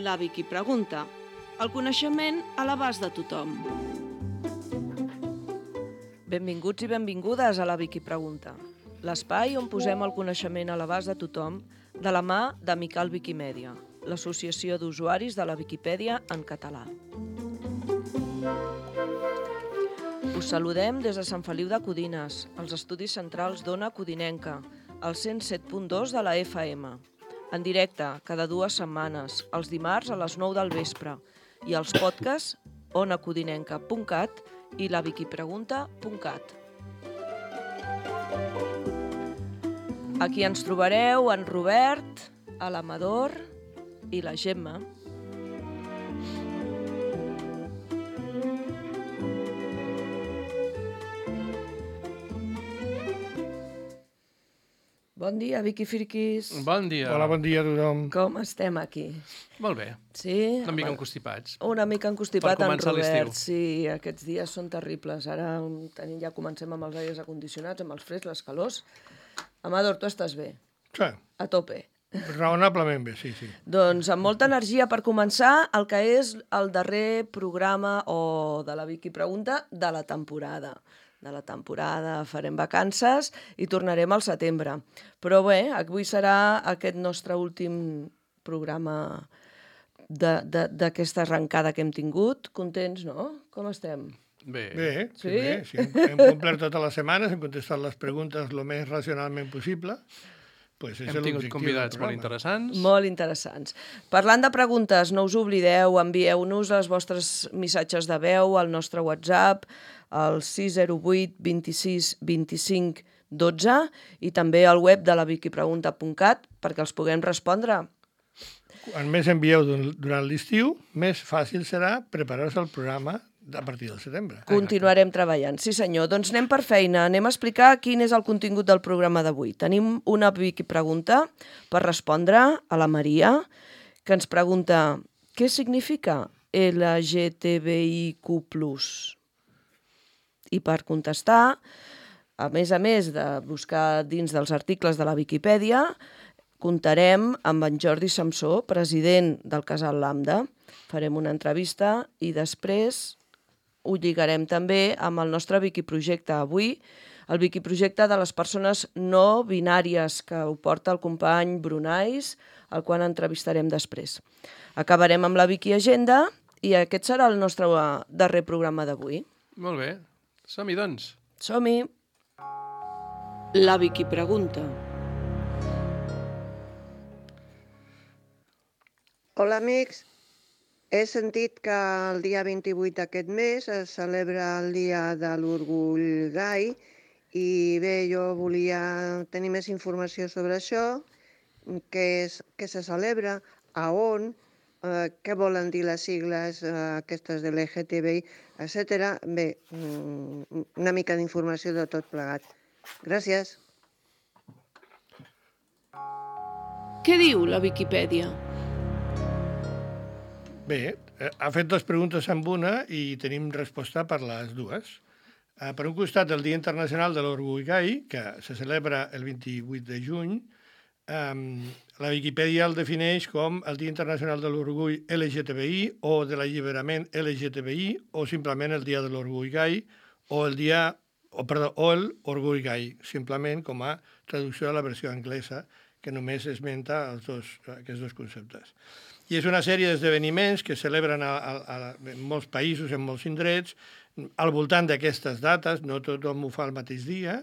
La Vicky pregunta. El coneixement a l'abast de tothom. Benvinguts i benvingudes a La Vicky pregunta. L'espai on posem el coneixement a l'abast de tothom de la mà d'Amical Viquimèdia, l'associació d'usuaris de la Viquipèdia en català. Us saludem des de Sant Feliu de Codines, als estudis centrals d'Ona Codinenca, al 107.2 de la FM, en directe cada 2 setmanes, els dimarts a les 9 del vespre, i els podcasts onacodinenca.cat i laviquipregunta.cat. Aquí ens trobareu en Robert, l'Amador i la Gemma. Bon dia, Vicky Friquis. Bon dia. Hola, bon dia a tothom. Com estem aquí? Molt bé. Sí? Una mica enconstipats. Una mica enconstipat en començar Robert. l'estiu. Sí, aquests dies són terribles. Ara ja comencem amb els aires acondicionats, amb els freds, les calors. Amador, tu estàs bé? Sí, A tope. raonablement bé, sí. Doncs amb molta energia per començar el que és el darrer programa de la Vicky Pregunta de la temporada. Farem vacances i tornarem al setembre. Però bé, avui serà aquest nostre últim programa d'aquesta arrencada que hem tingut. Contents, no? Com estem? Bé. Bé, Sí? sí. Hem complert totes les setmanes, hem contestat les preguntes el més racionalment possible. Pues és Hem tingut l'objectiu convidats del molt programa. interessants. Molt interessants. Parlant de preguntes, no us oblideu, envieu-nos els vostres missatges de veu al nostre WhatsApp, al 608 26 25 12 i també al web de laviquipregunta.cat perquè els puguem respondre. Quan més envieu durant l'estiu, més fàcil serà preparar-se el programa a partir del setembre. Continuarem treballant. Sí, senyor. Doncs anem per feina. Anem a explicar quin és el contingut del programa d'avui. Tenim una Vicky pregunta per respondre a la Maria, que ens pregunta què significa LGTBIQ+. I per contestar, a més de buscar dins dels articles de la Viquipèdia, comptarem amb en Jordi Samsó, president del Casal Lambda. Farem una entrevista i després ho lligarem també amb el nostre Viquiprojecte. Avui, el Viquiprojecte de les persones no binàries, que ho porta el company Brunais, el qual entrevistarem després. Acabarem amb la Vicky Agenda i aquest serà el nostre darrer programa d'avui. Molt bé. Som-hi, doncs. Som-hi! La Vicky pregunta. Hola, amics. He sentit que el dia 28 d'aquest mes es celebra el Dia de l'Orgull Gai i bé, jo volia tenir més informació sobre això, què se celebra, a on, què volen dir les sigles aquestes de l'LGTBI, etc. Bé, una mica d'informació de tot plegat. Gràcies. Què diu la Viquipèdia? Bé, ha fet 2 preguntes amb una i tenim resposta per les dues. Per un costat, el Dia Internacional de l'Orgull Gai, que se celebra el 28 de juny, la Viquipèdia el defineix com el Dia Internacional de l'Orgull LGTBI o de l'alliberament LGTBI o simplement el Dia de l'Orgull Gai o l'Orgull Gai, simplement com a traducció de la versió anglesa que només esmenta aquests dos conceptes. I és una sèrie d'esdeveniments que celebren en molts països, en molts indrets, al voltant d'aquestes dates, no tothom ho fa el mateix dia,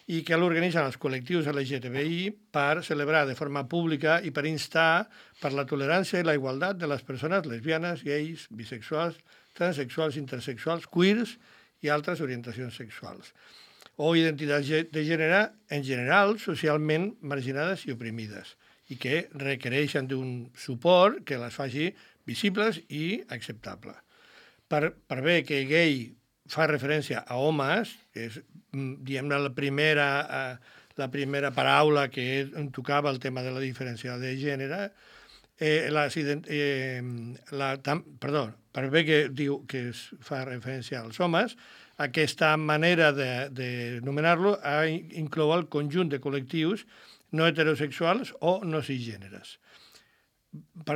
i que l'organitzen els col·lectius LGTBI per celebrar de forma pública i per instar per la tolerància i la igualtat de les persones lesbianes, gais, bisexuals, transsexuals, intersexuals, queers i altres orientacions sexuals, o identitats de gènere en general socialment marginades i oprimides, i que requereixen d'un suport que les faci visibles i acceptable. Per bé que gay fa referència a homes, que és, diguem-ne, la primera paraula que tocava el tema de la diferència de gènere, per bé que diu que es fa referència als homes, aquesta manera de nomenar-lo inclou el conjunt de col·lectius no heterosexuals o no cisgèneres. Per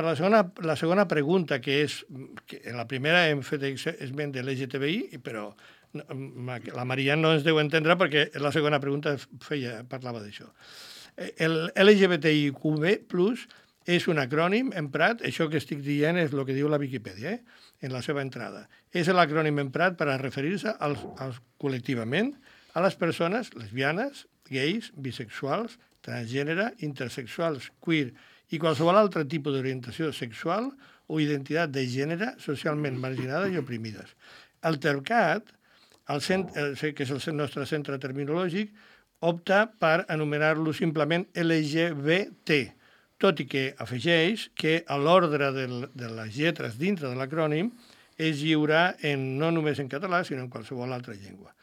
la segona pregunta, que és... Que en la primera hem fet esment de l'LGTBI, però la Maria no ens deu entendre perquè la segona pregunta parlava d'això. El LGBTIQ+, és un acrònim emprat, això que estic dient és el que diu la Viquipèdia, en la seva entrada. És l'acrònim emprat per a referir-se col·lectivament a les persones lesbianes, gais, bisexuals, transgènere, intersexuals, queer i qualsevol altre tipus d'orientació sexual o identitat de gènere socialment marginades i oprimides. El TERCAT, que és el nostre centre terminològic, opta per anomenar-lo simplement LGBT, tot i que afegeix que l'ordre de les lletres dintre de l'acrònim es lliurà no només en català, sinó en qualsevol altra llengua.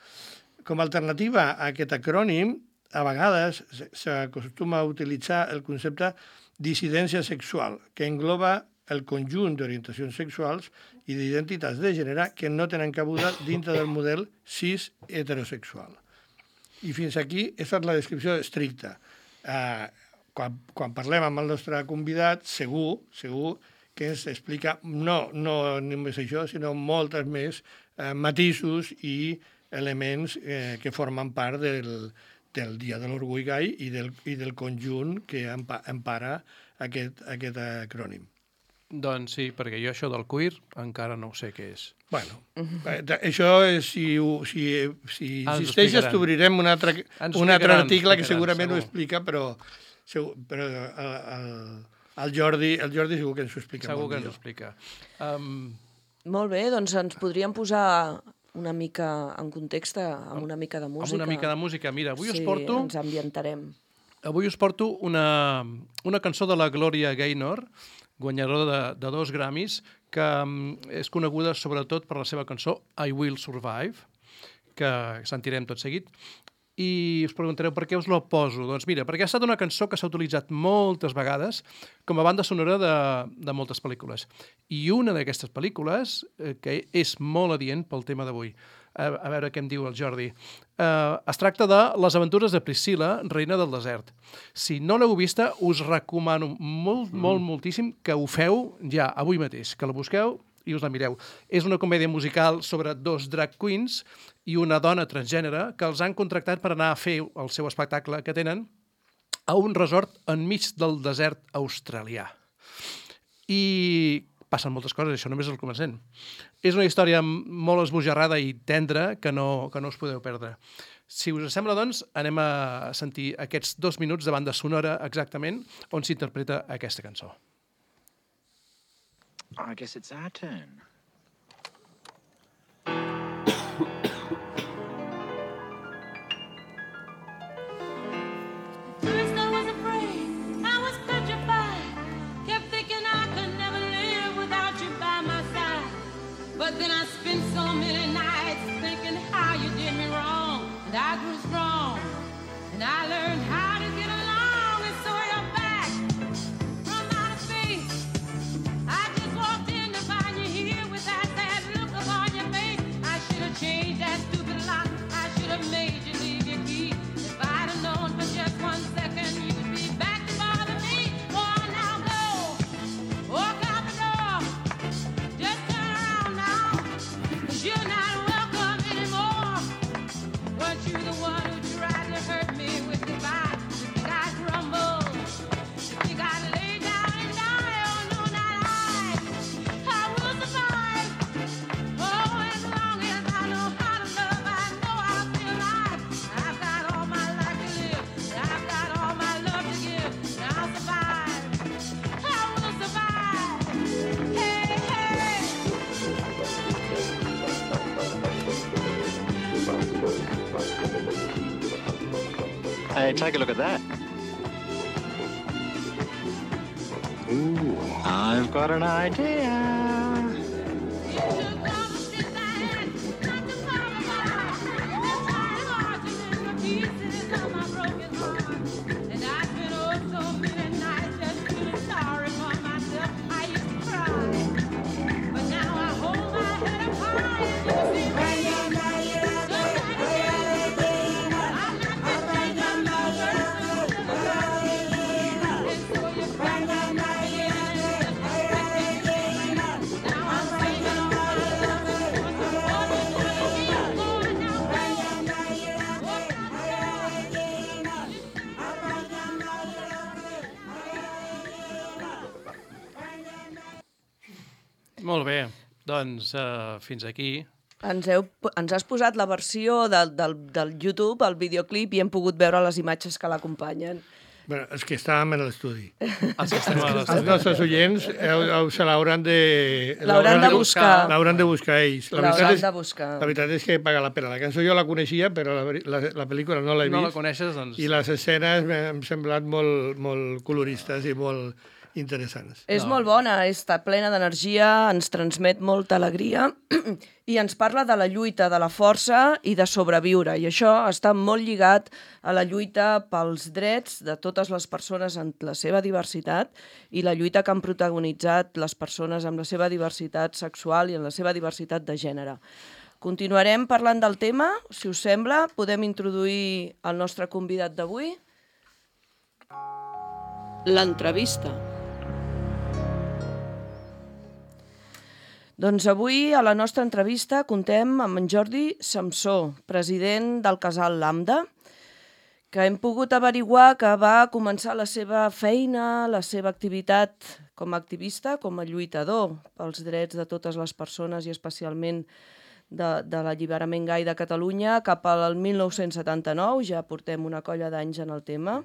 Com a alternativa a aquest acrònim, a vegades s'acostuma a utilitzar el concepte dissidència sexual, que engloba el conjunt d'orientacions sexuals i d'identitats de gènere que no tenen cabuda dintre del model cis heterosexual. I fins aquí, aquesta és la descripció estricta. Quan parlem amb el nostre convidat, segur que ens explica no només això, sinó moltes més matisos i elements que formen part del Dia de l'Orgull Gai i del conjunt que empara aquest acrònim. Doncs sí, perquè jo això del queer encara no ho sé què és. Bueno, això, si insisteixes, t'obrirem un altre article que segurament ho explica, però el Jordi segur que ens ho explica segur molt que ens ho millor. explica. Molt bé, doncs ens podríem posar una mica en context amb una mica de música. Amb una mica de música. Mira, avui us porto una cançó de la Gloria Gaynor, guanyadora de 2 Grammys, que és coneguda sobretot per la seva cançó I Will Survive, que sentirem tot seguit. I us preguntareu per què us la poso. Doncs mira, perquè ha estat una cançó que s'ha utilitzat moltes vegades com a banda sonora de moltes pel·lícules. I una d'aquestes pel·lícules, que és molt adient pel tema d'avui, a veure què em diu el Jordi, es tracta de Les aventures de Priscilla, reina del desert. Si no l'heu vista, us recomano moltíssim que ho feu ja avui mateix, que la busqueu i us la mireu. És una comèdia musical sobre 2 drag queens i una dona transgènere que els han contractat per anar a fer el seu espectacle que tenen a un resort enmig del desert australià. I passen moltes coses, això només és el començament. És una història molt esbojarrada i tendra que no us podeu perdre. Si us sembla, doncs, anem a sentir aquests 2 minuts de banda sonora exactament on s'interpreta aquesta cançó. I guess it's our turn. First I was afraid, I was petrified, kept thinking I could never live without you by my side. But then I spent so many nights thinking how you did me wrong, and I grew strong, and I learned how to get along, and so you're back from outer space. I just walked in to find you here with that sad look upon your face. I should have changed that stupid lock, I should have made you leave your key. If I'd have known for just 1 second you'd be back to bother me. Oh, now go, walk out the door, just turn around now, 'cause you're not welcome anymore. Weren't you the one who tried to hurt me with goodbye? You think I'd crumble? You think I'd lay down and die? Oh, no, not I will survive. Oh, as long as I know how to love, I know I'll be alive. I've got all my life to live, and I've got all my love to give, and I'll survive. I will survive. Hey, hey. Hey, take a look at that. Ooh, I've got an idea. Molt bé, doncs fins aquí. Ens has posat la versió del YouTube, el videoclip, i hem pogut veure les imatges que l'acompanyen. Bueno, els que estàvem en l'estudi. Els que estem a Els l'estudi. nostres oients se l'hauran de... L'hauran de buscar. L'hauran de buscar ells. L'hauran de buscar. La veritat és que paga la pena. La cançó jo la coneixia, però la pel·lícula no l'he vist. No la coneixes, doncs... I les escenes m'han semblat molt coloristes i molt interessants. És molt bona, està plena d'energia, ens transmet molta alegria i ens parla de la lluita, de la força i de sobreviure. I això està molt lligat a la lluita pels drets de totes les persones en la seva diversitat i la lluita que han protagonitzat les persones amb la seva diversitat sexual i en la seva diversitat de gènere. Continuarem parlant del tema, si us sembla. Podem introduir el nostre convidat d'avui. L'entrevista. Doncs avui a la nostra entrevista contem amb en Jordi Samsó, president del Casal Lambda, que hem pogut averiguar que va començar la seva feina, la seva activitat com a activista, com a lluitador pels drets de totes les persones i especialment de l'alliberament gai de Catalunya cap al 1979, ja portem una colla d'anys en el tema.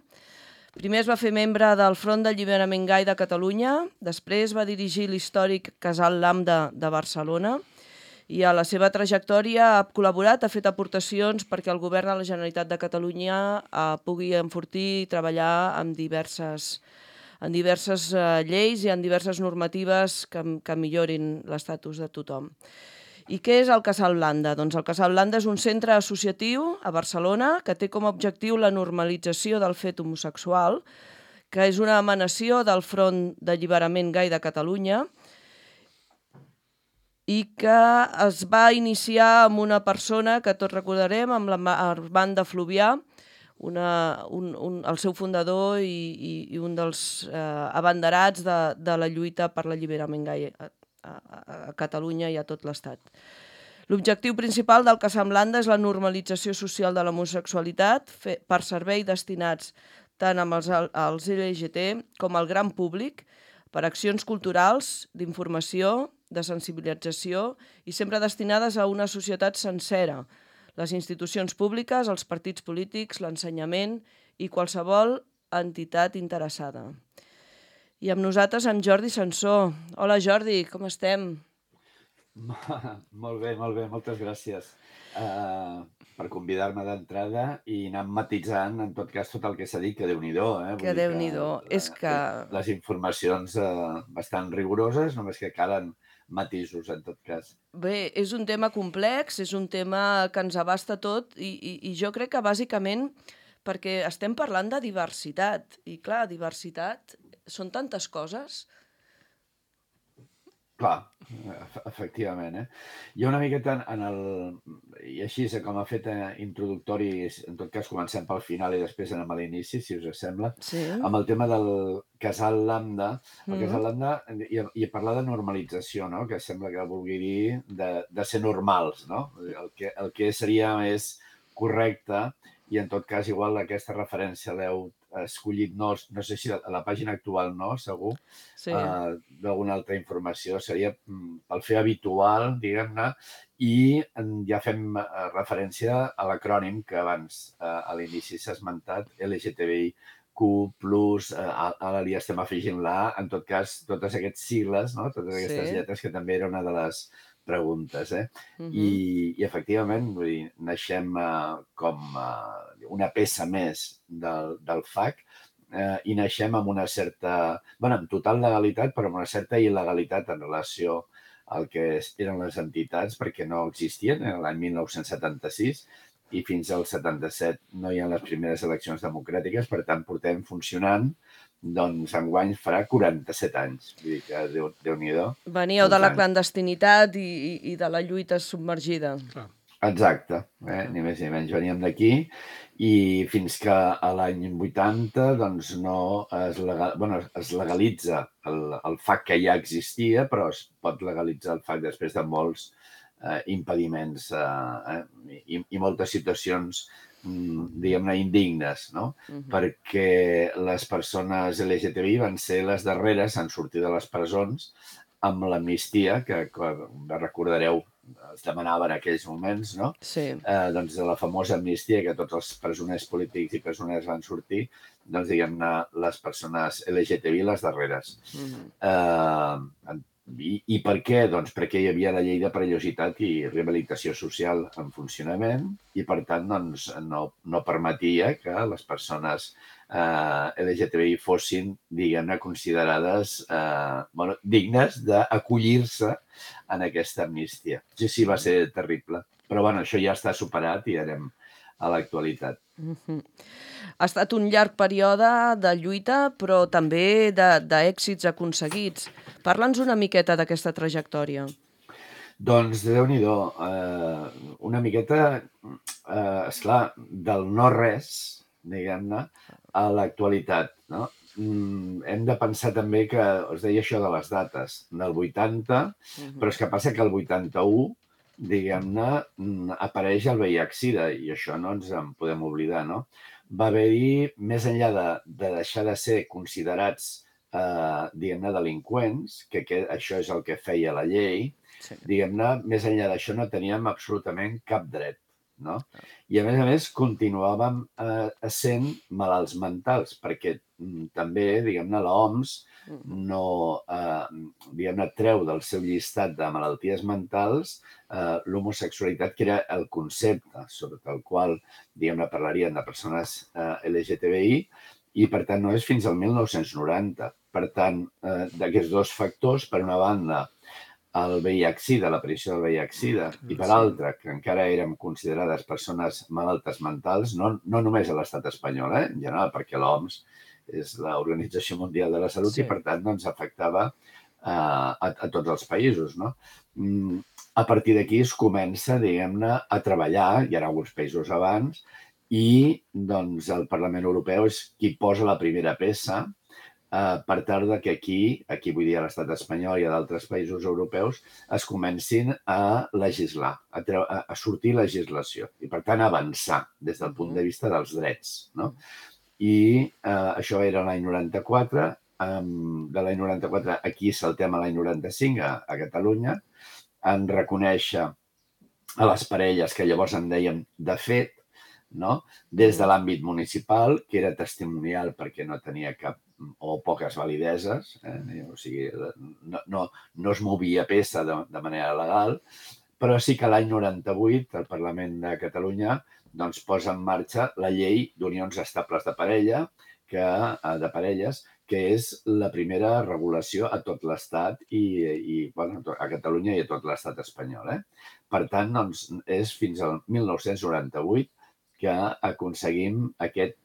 Primer es va fer membre del Front d'Alliberament Gai de Catalunya, després va dirigir l'històric Casal Lambda de Barcelona i a la seva trajectòria ha col·laborat, ha fet aportacions perquè el govern de la Generalitat de Catalunya pugui enfortir i treballar amb diverses lleis i en diverses normatives que millorin l'estatus de tothom. I què és el Casal Lambda? Doncs el Casal Lambda és un centre associatiu a Barcelona que té com a objectiu la normalització del fet homosexual, que és una emanació del Front d'Alliberament Gai de Catalunya i que es va iniciar amb una persona que tots recordarem, amb l'Armand de Fluvià, el seu fundador i un dels abanderats de la lluita per l'alliberament gai a Catalunya i a tot l'Estat. L'objectiu principal del Casal Lambda és la normalització social de l'homosexualitat per servei destinats tant als LGT com al gran públic, per accions culturals, d'informació, de sensibilització i sempre destinades a una societat sencera, les institucions públiques, els partits polítics, l'ensenyament i qualsevol entitat interessada. I amb nosaltres, amb Jordi Samsó. Hola, Jordi, com estem? Molt bé, moltes gràcies per convidar-me d'entrada i anar matitzant, en tot cas, tot el que s'ha dit, que Déu-n'hi-do. Que Déu-n'hi-do. És que... Les informacions bastant rigoroses, només que calen matisos, en tot cas. Bé, és un tema complex, és un tema que ens abasta tot i jo crec que bàsicament perquè estem parlant de diversitat. I clar, diversitat són tantes coses. Clar, efectivament. Hi ha una miqueta i així com ha fet introductori, en tot cas comencem pel final i després anem a l'inici, si us sembla, Sí. amb el tema del Casal Lambda. El Casal Lambda, i parlar de normalització, no? Que sembla que vulgui dir de ser normals, no? El que seria més correcte, i en tot cas igual aquesta referència l'heu escollit, no sé si a la pàgina actual no, segur, Sí. d'alguna altra informació, seria el fer habitual, diguem-ne, i ja fem referència a l'acrònim que abans a l'inici s'ha esmentat, LGTBIQ+, ara li estem afegint la A, en tot cas, totes aquestes sigles, no? Totes aquestes lletres, que també era una de les preguntes. I efectivament, vull dir, naixem com una peça més del FAC i naixem amb una certa, amb total legalitat, però amb una certa il·legalitat en relació al que eren les entitats, perquè no existien l'any 1976 i fins al 77 no hi ha les primeres eleccions democràtiques, per tant, portem funcionant, doncs enguany farà 47 anys. Vull dir que Déu-n'hi-do. Veníeu de la clandestinitat i de la lluita submergida. Exacte, ni més ni menys. Veníem d'aquí i fins que a l'any 80 doncs no es legalitza el FAC que ja existia, però es pot legalitzar el FAC després de molts impediments i moltes situacions, diguem-ne, indignes, no? Perquè les persones LGTBI van ser les darreres en sortir de les presons amb l'amnistia, que recordareu, es demanava en aquells moments, no? Sí. Doncs de la famosa amnistia, que tots els presoners polítics i presoners van sortir, doncs diguem-ne, les persones LGTBI les darreres. I per què? Doncs perquè hi havia la llei de perillositat i rehabilitació social en funcionament i, per tant, doncs, no permetia que les persones LGTBI fossin, diguem-ne, considerades dignes d'acollir-se en aquesta amnistia. Sí, va ser terrible. Però, bueno, això ja està superat i anem a l'actualitat. Ha estat un llarg període de lluita, però també d'èxits aconseguits. Parla'ns una miqueta d'aquesta trajectòria. Doncs, Déu-n'hi-do, una miqueta, esclar, del no-res, diguem-ne, a l'actualitat, no? Hem de pensar també que, us deia això de les dates, del 80, però és que passa que el 81, diguem-ne, apareix el VIH-Sida, i això no ens en podem oblidar, no? Va haver-hi, més enllà de deixar de ser considerats, diguem-ne, delinqüents, que això és el que feia la llei, diguem-ne, més enllà d'això no teníem absolutament cap dret, no? I, a més, continuàvem sent malalts mentals, perquè també, diguem-ne, l'OMS no, diguem-ne, treu del seu llistat de malalties mentals l'homosexualitat, que era el concepte sobre el qual, diguem-ne, parlarien de persones LGTBI, i, per tant, no és fins al 1990. Per tant, d'aquests dos factors, per una banda, el VIH-Sida, l'aparició del VIH-Sida, i per altra, que encara érem considerades persones malaltes mentals, no només a l'estat espanyol, en general, perquè l'OMS és l'Organització Mundial de la Salut i, per tant, doncs, afectava a tots els països, no? A partir d'aquí es comença, diguem-ne, a treballar, hi ha alguns països abans, i doncs el Parlament Europeu és qui posa la primera peça per tal que aquí vull dir a l'estat espanyol i a d'altres països europeus, es comencin a legislar, a sortir legislació i, per tant, avançar des del punt de vista dels drets, no? I això era l'any 94, de l'any 94 aquí saltem a l'any 95 a Catalunya, en reconèixer a les parelles que llavors en dèiem de fet, no? Des de l'àmbit municipal, que era testimonial perquè no tenia cap o poques valideses, o sigui, no es movia peça de manera legal, però sí que l'any 98 el Parlament de Catalunya doncs, posa en marxa la llei d'unions estables de parelles, que és la primera regulació a tot l'Estat i bueno, a Catalunya i a tot l'Estat espanyol. Per tant, doncs, és fins al 1998 que aconseguim aquest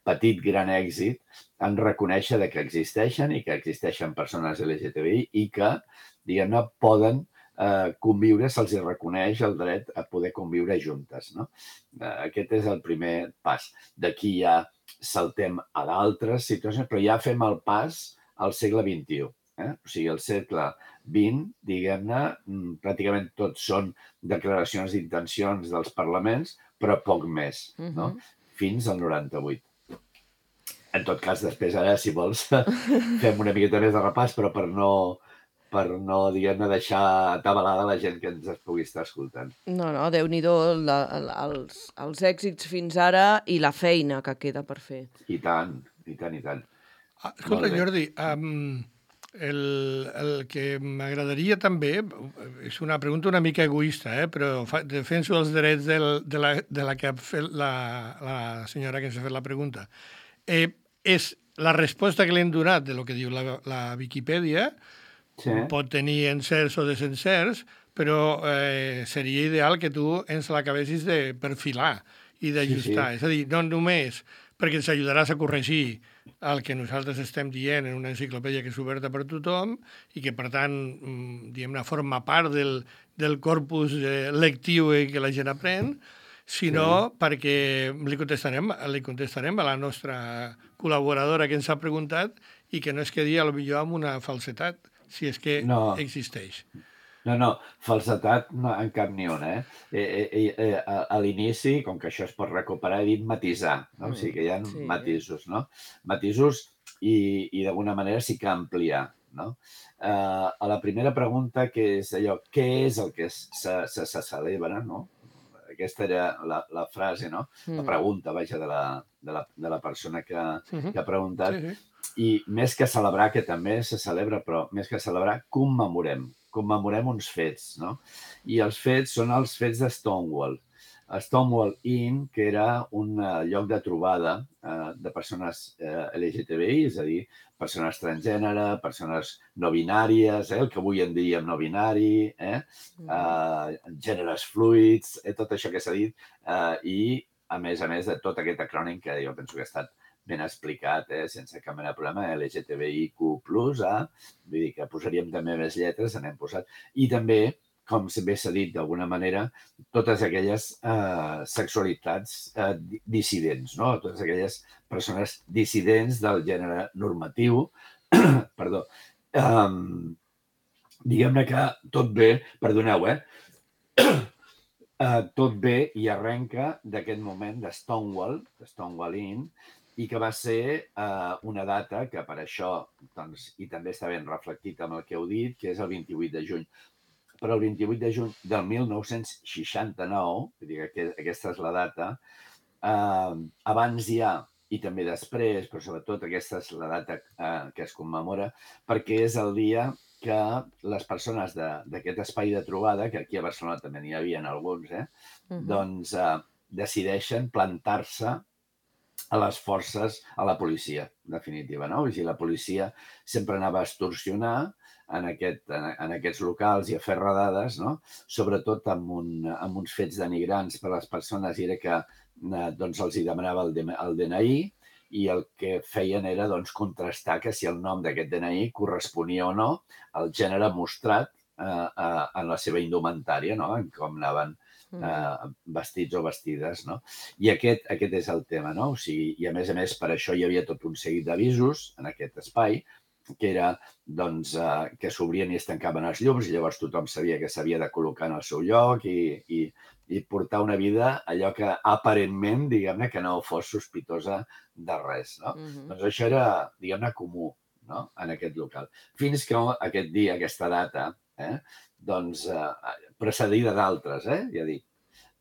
petit gran èxit en reconèixer que existeixen i que existeixen persones LGTBI i que, diguem-ne, poden conviure, se'ls reconeix el dret a poder conviure juntes, no? Aquest és el primer pas. D'aquí ja saltem a d'altres situacions, però ja fem el pas al segle XXI. O sigui, el segle XX, diguem-ne, pràcticament tots són declaracions d'intencions dels parlaments, però poc més, no? Fins al 98. En tot cas, després, ara, si vols, fem una miqueta més de repàs, però per no diguem-ne, deixar atabalada la gent que ens pugui estar escoltant. No, Déu-n'hi-do els èxits fins ara i la feina que queda per fer. I tant, i tant, i tant. Escolta, Jordi, el que m'agradaria també, és una pregunta una mica egoista, però defenso els drets de la que ha fet la senyora que ens ha fet la pregunta. És la resposta que li hem donat de lo que diu la Viquipèdia, pot tenir encerts o desencerts, però seria ideal que tu ens l'acabessis de perfilar i d'ajustar. És a dir, no només perquè ens ajudaràs a corregir el que nosaltres estem dient en una enciclopèdia que és oberta per tothom i que, per tant, diguem-ne, forma part del corpus lectiu que la gent aprèn, sinó perquè li contestarem a la nostra col·laboradora que ens ha preguntat i que no es quedi potser amb una falsetat, si és que existeix. No, falsetat en cap ni una. A l'inici, com que això es pot recuperar, he dit matisar, no? O sigui que hi ha matisos, no? Matisos i d'alguna manera sí que ampliar. no? A la primera pregunta, que és allò, què és el que se celebra, no? Aquesta era la frase, no? La pregunta, vaja, de la persona que ha preguntat. Sí, sí. I més que celebrar, que també se celebra, però més que celebrar, commemorem uns fets, no? I els fets són els fets de Stonewall. Stonewall Inn, que era un lloc de trobada de persones LGTBI, és a dir, persones transgènere, persones no binàries, el que avui en diem no binari, gèneres fluids, tot això que s'ha dit, i a més de tot aquest acrònim que jo penso que ha estat ben explicat, sense cap mena de problema, LGTBIQ+, vull dir que posaríem també més lletres, n'hem posat, i també, com bé s'ha dit d'alguna manera, totes aquelles sexualitats dissidents, no? Totes aquelles persones dissidents del gènere normatiu. Perdó. Diguem-ne que tot bé, perdoneu, tot bé i arrenca d'aquest moment de Stonewall Inn, i que va ser una data que per això, doncs, i també està ben reflectit amb el que heu dit, que és el 28 de juny. Però el 28 de juny del 1969, vull dir que aquesta és la data, abans hi ha, i també després, però sobretot aquesta és la data que es commemora, perquè és el dia que les persones d'aquest espai de trobada, que aquí a Barcelona també n'hi havia alguns, doncs decideixen plantar-se a les forces, a la policia, en definitiva, no? I la policia sempre anava a extorsionar en aquests locals i a fer redades, no? Sobretot amb uns fets denigrants per a les persones, i era que doncs, els hi demanava el DNI, i el que feien era doncs, contrastar que si el nom d'aquest DNI corresponia o no al gènere mostrat en la seva indumentària, no? En com anaven vestits o vestides, no? I aquest és el tema, no? O sigui, i a més, per això hi havia tot un seguit d'avisos en aquest espai, que era, doncs, que s'obrien i es tancaven els llums, i llavors tothom sabia que s'havia de col·locar en el seu lloc i portar una vida, allò que aparentment, diguem-ne, que no fos sospitosa de res, no? Doncs això era, diguem-ne, comú, no?, en aquest local. Fins que aquest dia, aquesta data, doncs, precedida d'altres, ja dic.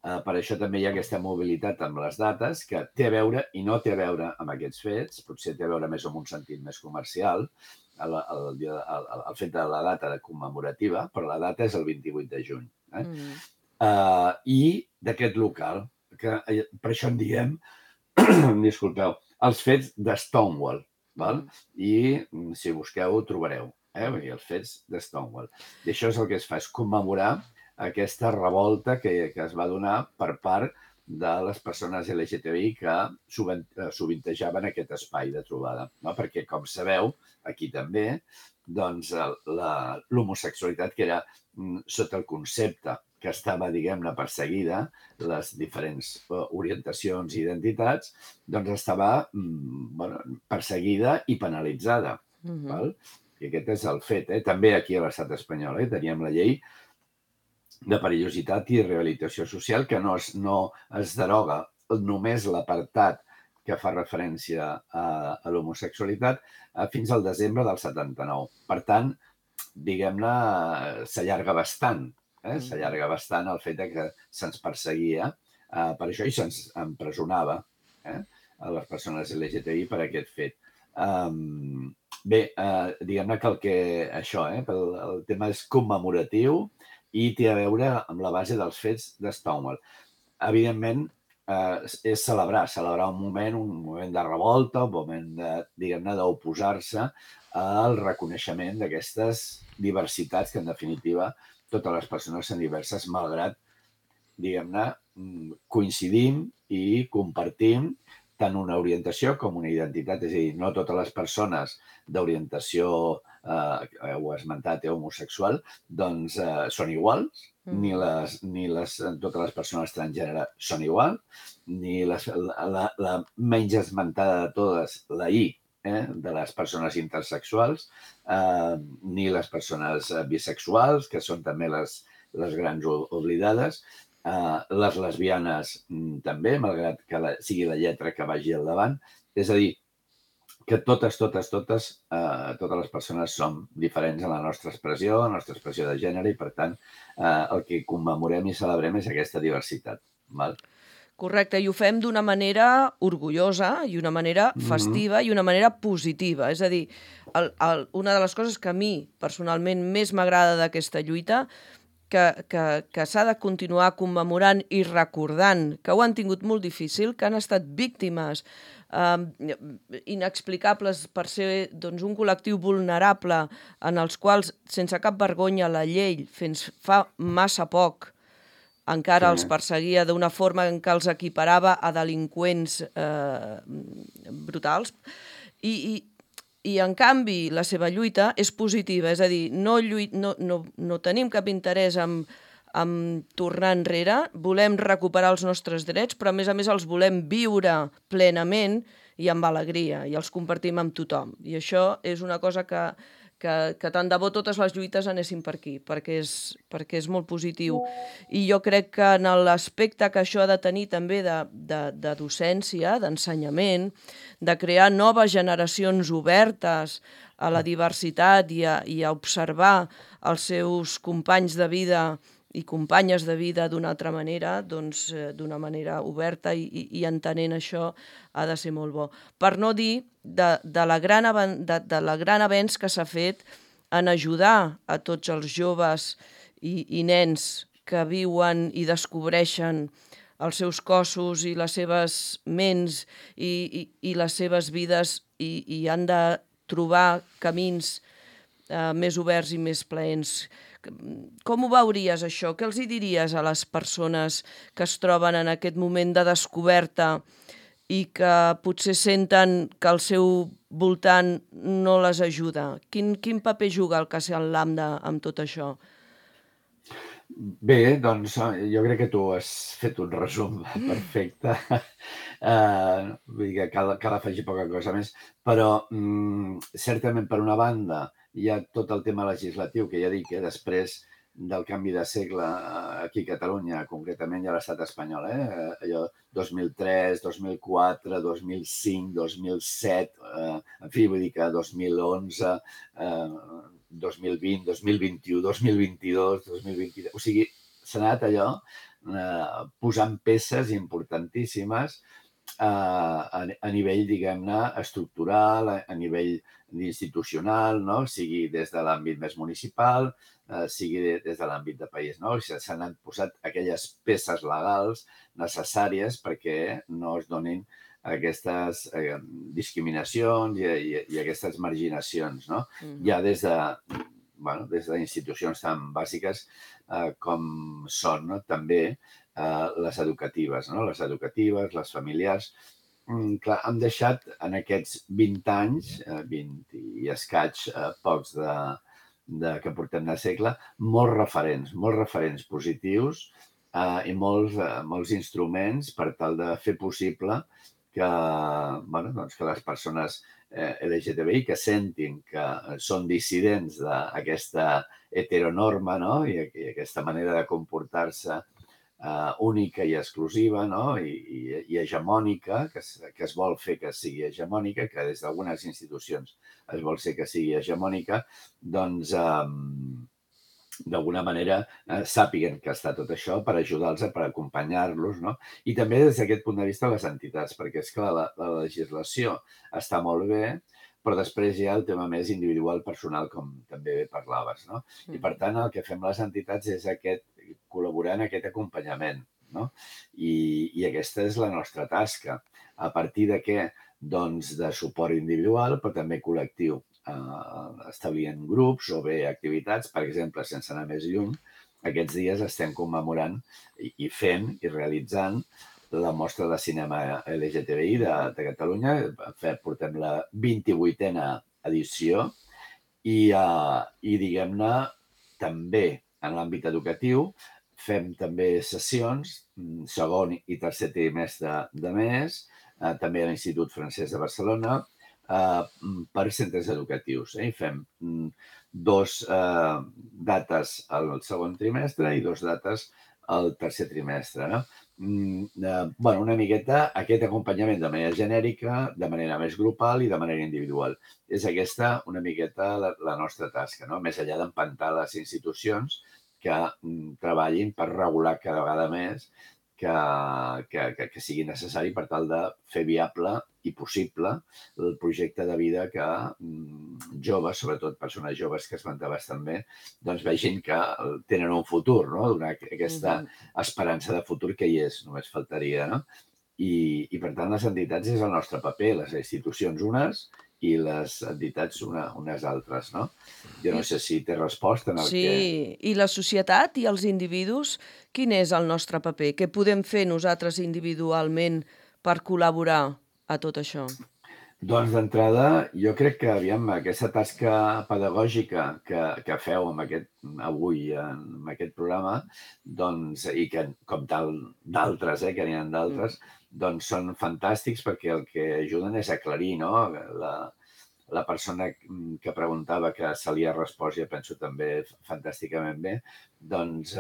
Per això també hi ha aquesta mobilitat amb les dates, que té a veure i no té a veure amb aquests fets, potser té a veure més amb un sentit més comercial, el fet de la data commemorativa, però la data és el 28 de juny. I d'aquest local, que per això en diem, disculpeu, els fets de Stonewall, i si busqueu ho trobareu, els fets de Stonewall. I això és el que es fa, és commemorar aquesta revolta que es va donar per part de les persones LGTBI que sovintejaven aquest espai de trobada. Perquè, com sabeu, aquí també, doncs, l'homosexualitat, que era sota el concepte que estava, diguem-ne, perseguida, les diferents orientacions i identitats, doncs estava perseguida i penalitzada. I aquest és el fet. També aquí a l'estat espanyol teníem la llei de perillositat i rehabilitació social, que no es deroga només l'apartat que fa referència a l'homosexualitat fins al desembre del 79. Per tant, diguem-ne, s'allarga bastant. S'allarga bastant el fet que se'ns perseguia per això i se'ns empresonava a les persones LGTBI per aquest fet. Bé, diguem-ne que el tema és commemoratiu i té a veure amb la base dels fets de Stonewall. Evidentment, és celebrar un moment de revolta, un moment, diguem-ne, d'oposar-se al reconeixement d'aquestes diversitats que, en definitiva, totes les persones són diverses, malgrat, diguem-ne, coincidim i compartim tant una orientació com una identitat. És a dir, no totes les persones d'orientació, ho he esmentat, homosexual, doncs són iguals, ni totes les persones transgènere són iguals, ni la menys esmentada de totes, la I, de les persones intersexuals, ni les persones bisexuals, que són també les grans oblidades, les lesbianes també, malgrat que sigui la lletra que vagi al davant. És a dir, que totes les persones som diferents en la nostra expressió de gènere, i per tant el que commemorem i celebrem és aquesta diversitat. Val? Correcte, i ho fem d'una manera orgullosa i una manera festiva i una manera positiva. És a dir, una de les coses que a mi personalment més m'agrada d'aquesta lluita que s'ha de continuar commemorant i recordant que ho han tingut molt difícil, que han estat víctimes inexplicables per ser un col·lectiu vulnerable en els quals, sense cap vergonya, la llei fins fa massa poc encara els perseguia d'una forma en què els equiparava a delinqüents brutals. I en canvi, la seva lluita és positiva, és a dir, no tenim cap interès en tornar enrere, volem recuperar els nostres drets, però a més els volem viure plenament i amb alegria, i els compartim amb tothom. I això és una cosa que tant de bo totes les lluites anessin per aquí, perquè és molt positiu. I jo crec que en l'aspecte que això ha de tenir també de docència, d'ensenyament, de crear noves generacions obertes a la diversitat i a observar els seus companys de vida i companyes de vida d'una altra manera, doncs d'una manera oberta i entenent això ha de ser molt bo. Per no dir de la gran avenç que s'ha fet en ajudar a tots els joves i nens que viuen i descobreixen els seus cossos i les seves ments i les seves vides i han de trobar camins més oberts i més plaents. Com ho veuries, això? Què els hi diries a les persones que es troben en aquest moment de descoberta i que potser senten que el seu voltant no les ajuda? Quin paper juga el Casal Lambda amb tot això? Bé, doncs jo crec que tu has fet un resum perfecte. Vull dir que cal afegir poca cosa més, però certament, per una banda, hi ha tot el tema legislatiu, que ja dic que després del canvi de segle aquí a Catalunya, concretament i a l'estat espanyol, allò 2003, 2004, 2005, 2007, en fi, vull dir que 2011, 2020, 2021, 2022, 2023... O sigui, s'ha anat allò posant peces importantíssimes a nivell, diguem-ne, estructural, a nivell institucional, no? Sigui des de l'àmbit més municipal, sigui des de l'àmbit de país, no? S'han posat aquelles peces legals necessàries perquè no es donin aquestes discriminacions i aquestes marginacions, no? Ja des d'institucions tan bàsiques com són també les educatives, no? Les educatives, les familiars. Clar, han deixat en aquests 20 anys, 20 i escaig, pocs que portem de segle, molts referents positius i molts instruments per tal de fer possible que les persones LGTBI que sentin que són dissidents d'aquesta heteronorma, no? I aquesta manera de comportar-se única i exclusiva, no? I hegemònica, que es vol fer que sigui hegemònica, que des d'algunes institucions es vol ser que sigui hegemònica, doncs d'alguna manera sàpiguen que està tot això per ajudar-los, per acompanyar-los, no? I també des d'aquest punt de vista les entitats, perquè és clar, la legislació està molt bé, però després hi ha el tema més individual, personal, com també bé parlaves, no? I per tant el que fem les entitats és col·laborar en aquest acompanyament, no? I aquesta és la nostra tasca. A partir de què? Doncs de suport individual, però també col·lectiu. Establint grups o bé activitats, per exemple, sense anar més lluny, aquests dies estem commemorant i fent i realitzant la mostra de cinema LGTBI de Catalunya. Portem la 28a edició i diguem-ne, també en l'àmbit educatiu fem també sessions, segon i tercer trimestre de mes, també a l'Institut Francès de Barcelona, per centres educatius. I fem 2 dates al segon trimestre i 2 dates al tercer trimestre, no? bueno, una miqueta aquest acompanyament de manera genèrica, de manera més grupal i de manera individual. És aquesta una miqueta la nostra tasca, no? Més enllà d'empantar les institucions que treballin per regular cada vegada més que sigui necessari per tal de fer viable i possible el projecte de vida que joves, sobretot persones joves que esmentaves també, doncs vegin que tenen un futur, no? Donar aquesta esperança de futur que hi és, només faltaria, no? I per tant, les entitats és el nostre paper, les institucions unes i les entitats unes altres, no? Jo no sé si té resposta en el que... Sí, i la societat i els individus, quin és el nostre paper? Què podem fer nosaltres individualment per col·laborar a tot això? Doncs d'entrada, jo crec que, aviam, aquesta tasca pedagògica que feu avui en aquest programa, doncs, i que, com tal d'altres, que n'hi ha d'altres, doncs són fantàstics perquè el que ajuden és aclarir, no? La persona que preguntava que se li ha respost, ja penso també fantàsticament bé, doncs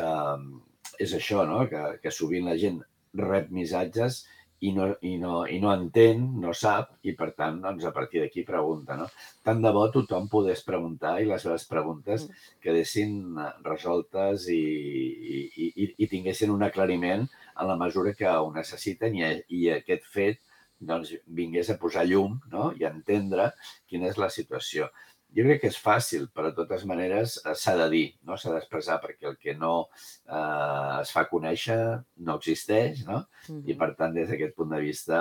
és això, no? Que sovint la gent rep missatges i no entén, no sap, i per tant, doncs, a partir d'aquí pregunta, no? Tant de bo tothom pogués preguntar i les seves preguntes quedessin resoltes i tinguessin un aclariment en la mesura que ho necessiten i aquest fet doncs, vingués a posar llum, no? I a entendre quina és la situació. Jo crec que és fàcil, però de totes maneres s'ha de dir, no? S'ha d'expressar perquè el que no es fa conèixer no existeix, no? I per tant, des d'aquest punt de vista,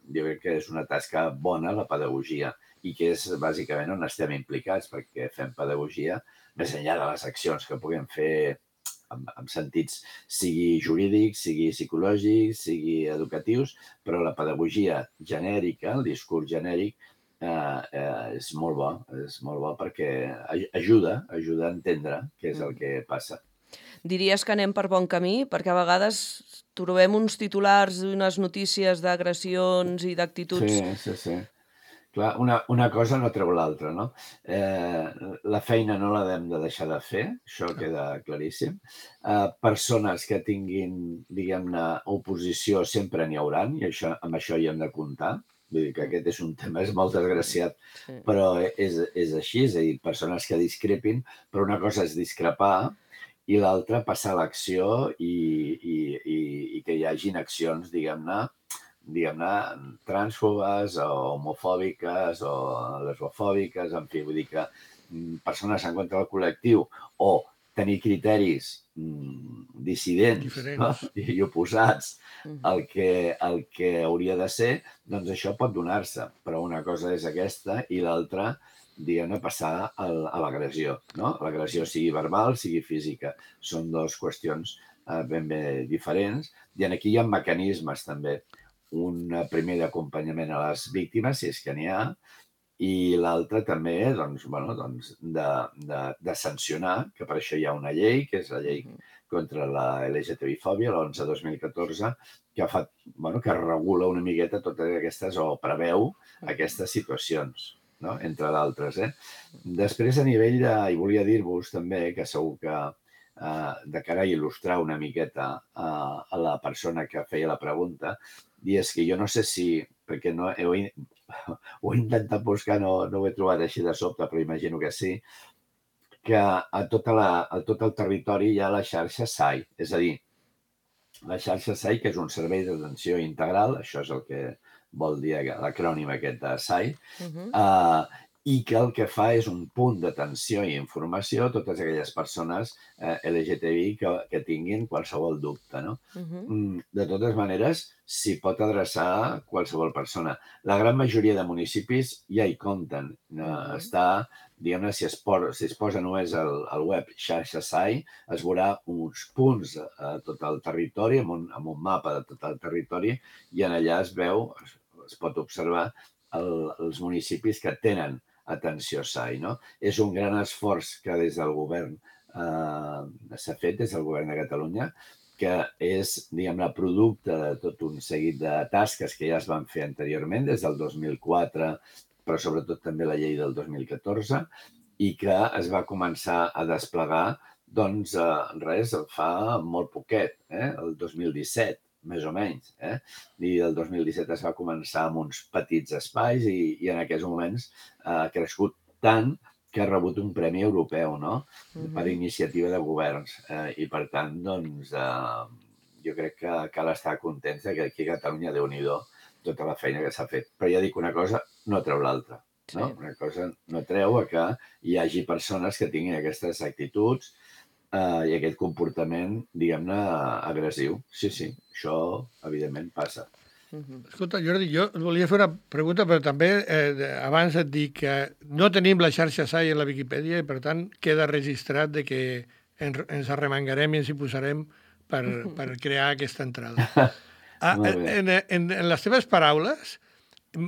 jo crec que és una tasca bona la pedagogia i que és bàsicament on estem implicats perquè fem pedagogia més enllà de les accions que puguem fer en sentits sigui jurídics, sigui psicològics, sigui educatius, però la pedagogia genèrica, el discurs genèric, és molt bo perquè ajuda a entendre què és el que passa. Diries que anem per bon camí? Perquè a vegades trobem uns titulars i unes notícies d'agressions i d'actituds... Sí. Clar, una cosa no treu l'altra, no? La feina no l'hem de deixar de fer, això queda claríssim. Persones que tinguin, diguem-ne, oposició sempre n'hi hauran, i amb això hi hem de comptar. Vull dir que aquest és un tema, és molt desgraciat, però és així, és a dir, persones que discrepin, però una cosa és discrepar i l'altra passar a l'acció i que hi hagin accions, diguem-ne, transfòbiques o homofòbiques o lesbofòbiques, en fi, vull dir que persones en contra del col·lectiu o tenir criteris dissidents, no? I oposats al que hauria de ser, doncs això pot donar-se. Però una cosa és aquesta i l'altra, diguem-ne, passar a l'agressió, no? L'agressió sigui verbal, sigui física. Són dues qüestions ben bé diferents i aquí hi ha mecanismes també. Un primer d'acompanyament a les víctimes, si és que n'hi ha, i l'altre també de sancionar, que per això hi ha una llei, que és la llei contra la LGTBI-fòbia, l'11/2014, que regula una miqueta totes aquestes, o preveu aquestes situacions, no? Entre d'altres. Després, a nivell de... I volia dir-vos també que segur que de cara a il·lustrar una miqueta a la persona que feia la pregunta, i és que jo no sé si, perquè no ho he intentat buscar, no ho he trobat així de sobte, però imagino que sí, que a tot el territori hi ha la xarxa SAI. És a dir, la xarxa SAI, que és un servei d'atenció integral, això és el que vol dir l'acrònim aquest de SAI, i que el que fa és un punt d'atenció i informació a totes aquelles persones LGTBI que tinguin qualsevol dubte, no? De totes maneres, s'hi pot adreçar qualsevol persona. La gran majoria de municipis ja hi compten. Està, diguem-ne, si es posa només al web xarxa SAI, es veurà uns punts a tot el territori, amb un mapa de tot el territori, i en allà es pot observar els municipis que tenen atenció SAI, no? És un gran esforç que des del govern s'ha fet, des del govern de Catalunya, que és, diguem-ne, producte de tot un seguit de tasques que ja es van fer anteriorment, des del 2004, però sobretot també la llei del 2014, i que es va començar a desplegar, doncs, fa molt poquet, el 2017. més o menys. I el 2017 es va començar amb uns petits espais i en aquests moments ha crescut tant que ha rebut un premi europeu, no? Per iniciativa de governs. I per tant, doncs, jo crec que cal estar contents que aquí a Catalunya, Déu-n'hi-do, tota la feina que s'ha fet. Però ja dic una cosa, no treu l'altra. No? Una cosa no treu a que hi hagi persones que tinguin aquestes actituds i aquest comportament, diguem-ne, agressiu. Sí, això evidentment passa. Escolta, Jordi, jo volia fer una pregunta, però també abans et dic que no tenim la xarxa SAI en la Viquipèdia i, per tant, queda registrat de que ens arremangarem i ens hi posarem per crear aquesta entrada. En les teves paraules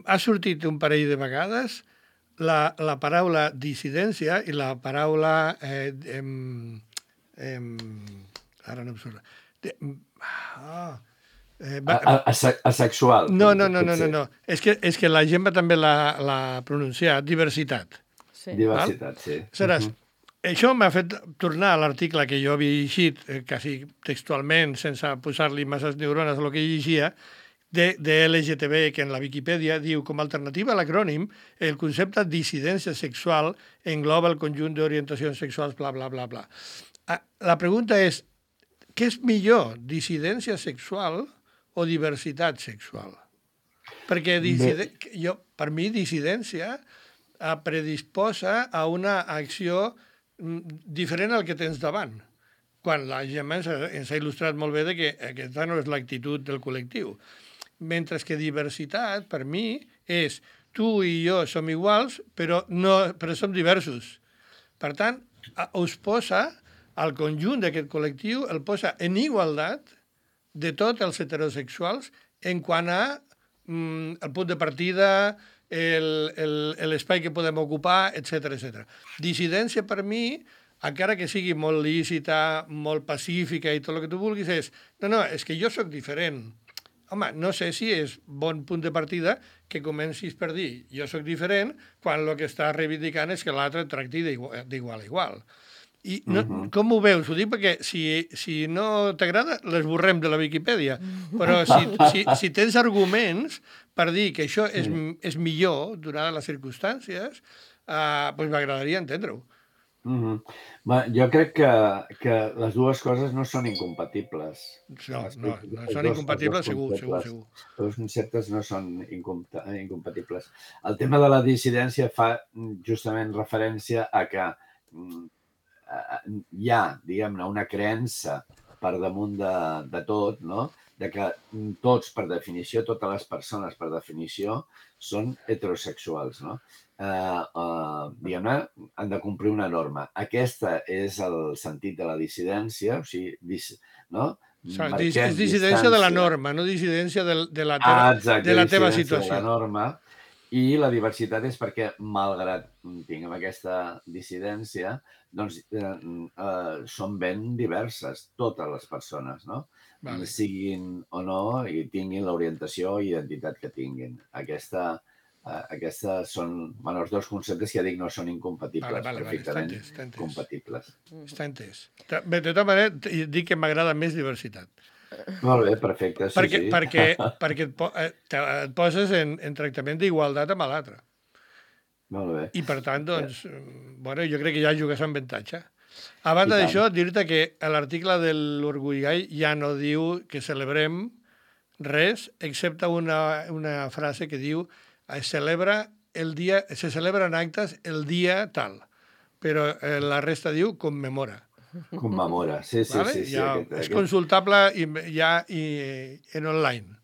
ha sortit un parell de vegades la paraula dissidència i la paraula... ara no em surt. Asexual. No. És que la Gemma també l'ha pronunciat, diversitat. Diversitat, sí. Aleshores, això m'ha fet tornar a l'article que jo havia llegit, quasi textualment, sense posar-li masses neurones a el que llegia, de LGTB, que en la Viquipèdia diu, com a alternativa a l'acrònim, el concepte dissidència sexual engloba el conjunt d'orientacions sexuals, bla, bla, bla, bla. La pregunta és, què és millor, dissidència sexual o diversitat sexual? Perquè per mi dissidència predisposa a una acció diferent al que tens davant. Quan la Gemma ens ha il·lustrat molt bé que aquesta no és l'actitud del col·lectiu. Mentre que diversitat, per mi, és tu i jo som iguals, però som diversos. Per tant, us posa, al conjunt d'aquest col·lectiu, el posa en igualtat de tots els heterosexuals en quant a el punt de partida, l'espai que podem ocupar, etc. Dissidència, per mi, encara que sigui molt lícita, molt pacífica i tot el que tu vulguis, és és que jo sóc diferent. Home, no sé si és bon punt de partida que comencis per dir jo sóc diferent quan el que està reivindicant és que l'altre et tracti d'igual a igual. I com ho veus? Ho dic perquè si no t'agrada, l'esborrem de la Viquipèdia. Però si tens arguments per dir que això és millor, donades les circumstàncies, doncs m'agradaria entendre-ho. Jo crec que les dues coses no són incompatibles. No són incompatibles, segur. Els conceptes no són incompatibles. El tema de la dissidència fa justament referència a que hi ha, diguem-ne, una creença per damunt de tot, no? De que tots, per definició, totes les persones, per definició, són heterosexuals, no? Diguem-ne, han de complir una norma. Aquesta és el sentit de la dissidència, o sigui, no? És dissidència de la norma, no dissidència de la teva situació. De la norma. I la diversitat és perquè, malgrat tinguem aquesta dissidència, doncs són ben diverses totes les persones, no? Siguin o no i tinguin l'orientació i identitat que tinguin. Aquests són els dos conceptes que ja dic no són incompatibles, perfectament compatibles. Està entès. De tota manera, dic que m'agrada més diversitat. Molt bé, perfecte, sí. Perquè et poses en tractament d'igualtat amb l'altre. Molt bé. I per tant, doncs, jo crec que ja jugues amb avantatge. A banda d'això, dir-te que l'article de l'Orgull Gai ja no diu que celebrem res, excepte una frase que diu se celebren actes el dia tal, però la resta diu commemora. Commemora, sí. És consultable ja en online.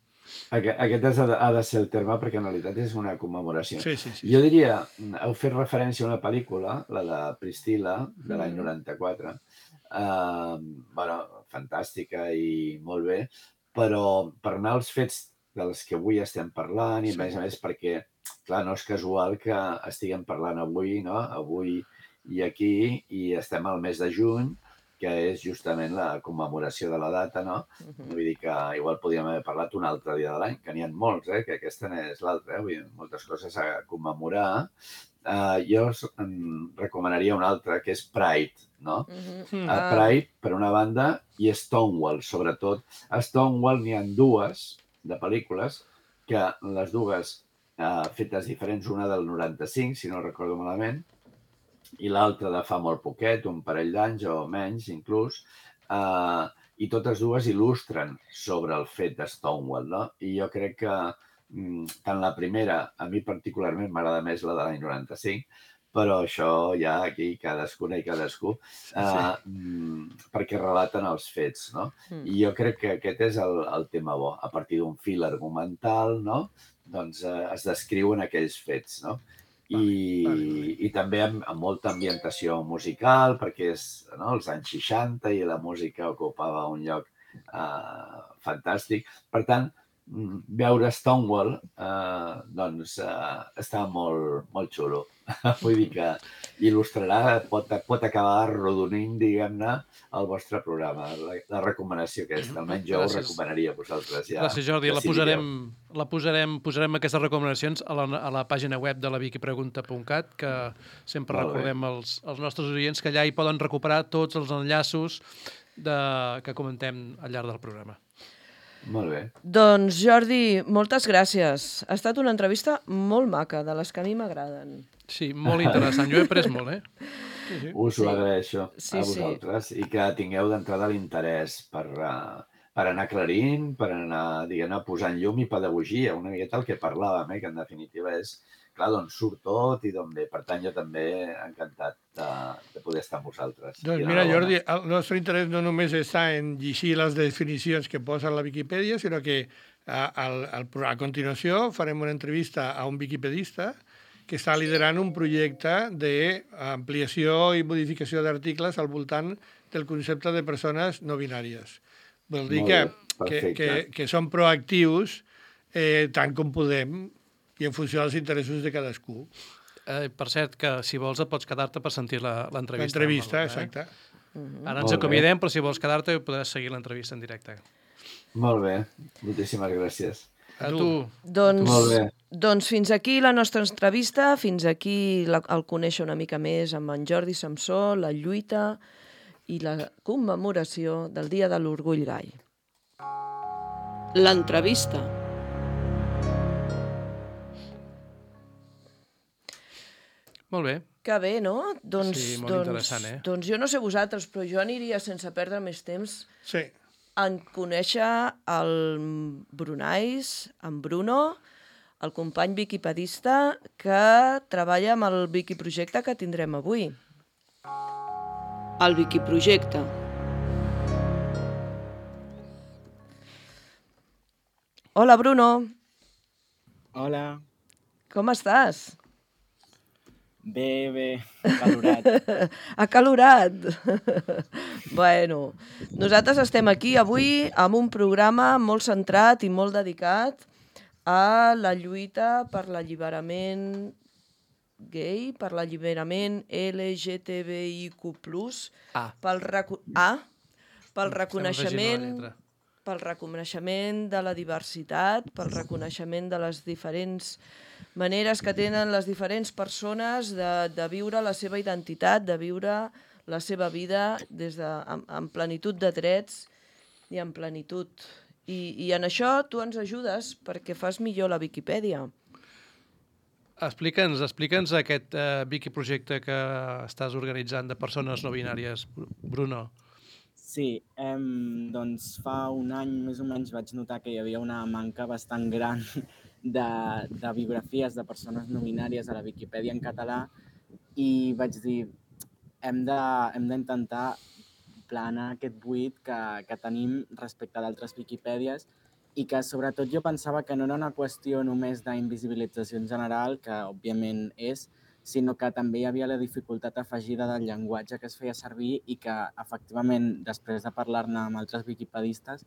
Aquest ha de ser el terme perquè en realitat és una commemoració. Sí. Jo diria, heu fet referència a una pel·lícula, la de Priscilla, de l'any 94, fantàstica i molt bé, però per anar als fets dels que avui estem parlant, i a més perquè, clar, no és casual que estiguem parlant avui, no? Avui i aquí, i estem al mes de juny, que és justament la commemoració de la data, no? Vull dir que igual podríem haver parlat un altre dia de l'any, que n'hi ha molts, que aquesta n'és l'altra, vull dir, moltes coses a commemorar. Jo en recomanaria un altre, que és Pride, no? Pride, per una banda, i Stonewall, sobretot. A Stonewall n'hi ha dues de pel·lícules, que les dues fetes diferents, una del 95, si no recordo malament, i l'altra de fa molt poquet, un parell d'anys o menys inclús, i totes dues il·lustren sobre el fet de Stonewall, no? I jo crec que tant la primera, a mi particularment m'agrada més la de l'any 95, però això ja aquí cadascuna i cadascú, perquè relaten els fets, no? I jo crec que aquest és el tema bo. A partir d'un fil argumental, no? Doncs es descriuen aquells fets, no? I també amb molta ambientació musical, perquè és els anys 60 i la música ocupava un lloc fantàstic. Per tant, veure Stonewall doncs està molt xulo. Vull dir que il·lustrarà, pot acabar arrodonint, diguem-ne, el vostre programa. La recomanació aquesta, almenys jo ho recomanaria a vosaltres. Gràcies, Jordi. Posarem aquestes recomanacions a la pàgina web de la wikipregunta.cat, que sempre recordem als nostres oients que allà hi poden recuperar tots els enllaços que comentem al llarg del programa. Molt bé. Doncs, Jordi, moltes gràcies. Ha estat una entrevista molt maca, de les que a mi m'agraden. Sí, molt interessant. Jo he après molt, Us ho agraeixo a vosaltres i que tingueu d'entrada l'interès per anar aclarint, per anar, diguem-ne, posant llum i pedagogia, una miqueta el que parlàvem, que en definitiva és, clar, d'on surt tot i d'on ve. Per tant, jo també encantat de poder estar amb vosaltres. Doncs mira, Jordi, el nostre interès no només està en llegir les definicions que posa a la Viquipèdia, sinó que a continuació farem una entrevista a un viquipedista que està liderant un projecte d'ampliació i modificació d'articles al voltant del concepte de persones no binàries. Vol dir que som proactius tant com podem i en funció dels interessos de cadascú. Per cert, que si vols et pots quedar-te per sentir l'entrevista. L'entrevista, exacte. Ara ens acomiadem, però si vols quedar-te podràs seguir l'entrevista en directe. Molt bé, moltíssimes gràcies. A tu. Doncs fins aquí la nostra entrevista, fins aquí el conèixer una mica més amb en Jordi Samsó, la lluita i la commemoració del Dia de l'Orgull Gai. L'entrevista. Molt bé. Que bé, no? Sí, molt interessant, Doncs jo no sé vosaltres, però jo aniria sense perdre més temps en conèixer el Brunais, en Bruno, el company viquipedista que treballa amb el Wikiprojecte que tindrem avui. El Wikiprojecte. Hola, Bruno. Hola. Com estàs? Bé, acalorat. Acalorat. Bueno, nosaltres estem aquí avui amb un programa molt centrat i molt dedicat a la lluita per l'alliberament gay, per l'alliberament LGTBIQ+, pel reconeixement de la diversitat, pel reconeixement de les diferents maneres que tenen les diferents persones de viure la seva identitat, de viure la seva vida amb plenitud de drets i amb plenitud. I en això tu ens ajudes perquè fas millor la Viquipèdia. Explica'ns aquest Wikiprojecte que estàs organitzant de persones no binàries, Bruno. Sí, doncs fa un any més o menys vaig notar que hi havia una manca bastant gran de biografies de persones no binàries a la Viquipèdia en català i vaig dir hem d'intentar planar aquest buit que tenim respecte d'altres Viquipèdies i que sobretot jo pensava que no era una qüestió només d'invisibilització en general, que òbviament és, sinó que també hi havia la dificultat afegida del llenguatge que es feia servir i que, efectivament, després de parlar-ne amb altres viquipedistes,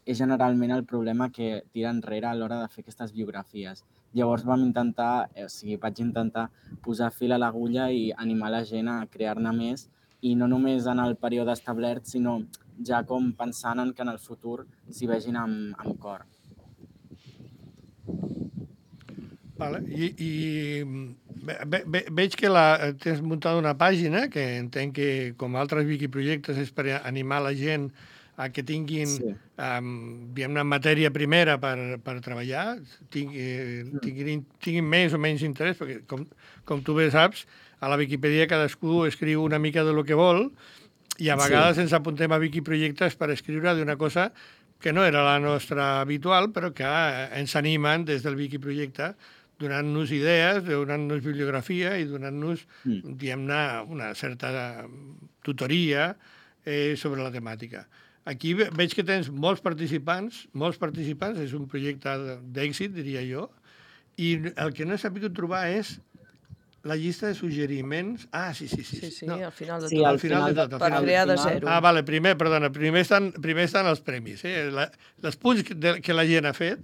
és generalment el problema que tira enrere a l'hora de fer aquestes biografies. Llavors vaig intentar posar fil a l'agulla i animar la gent a crear-ne més i no només en el període establert, sinó ja com pensant en que en el futur s'hi vegin amb cor. Vale. Veig que tens muntat una pàgina que entenc que, com altres wikiprojectes, és per animar la gent a que tinguin diguem-ne, matèria primera per treballar, tinguin més o menys interès, perquè, com tu bé saps, a la Viquipèdia cadascú escriu una mica de lo que vol i a vegades ens apuntem a wikiprojectes per escriure d'una cosa que no era la nostra habitual, però que ens animen des del wikiprojecte donant-nos idees, donant-nos bibliografia i donant-nos, diguem-ne, una certa tutoria sobre la temàtica. Aquí veig que tens molts participants, és un projecte d'èxit, diria jo, i el que no he sabut trobar és la llista de suggeriments... Ah, sí. No. Al final de Sí, tot. al final de tot. Per crear de zero. Ah, vale, primer estan els premis, els punts que la gent ha fet,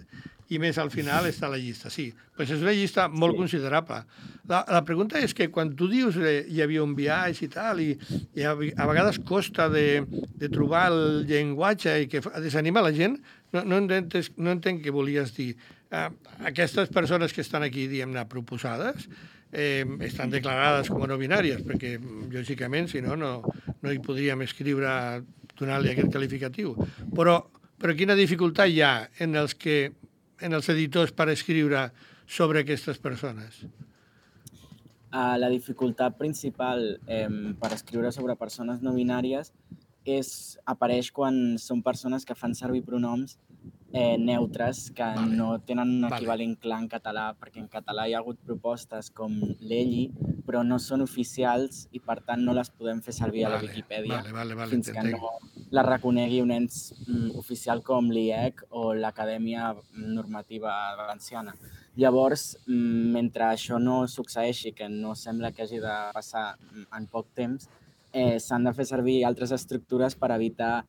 i més al final està la llista, sí. Pues és una llista molt considerable. La pregunta és que quan tu dius hi havia un viatge i tal, i a vegades costa de trobar el llenguatge i que desanima la gent, no entenc què volies dir. Aquestes persones que estan aquí, diguem-ne, proposades, estan declarades com a no binàries, perquè, lògicament, si no hi podríem escriure donant-li aquest qualificatiu. Però quina dificultat hi ha en els editors per escriure sobre aquestes persones? La dificultat principal per escriure sobre persones no binàries apareix quan són persones que fan servir pronoms neutres que no tenen un equivalent clar en català, perquè en català hi ha hagut propostes com l'elli, però no són oficials i per tant no les podem fer servir a la Viquipèdia fins que no la reconegui un ens oficial com l'IEC o l'Acadèmia Normativa Valenciana. Llavors, mentre això no succeeixi, que no sembla que hagi de passar en poc temps, s'han de fer servir altres estructures per evitar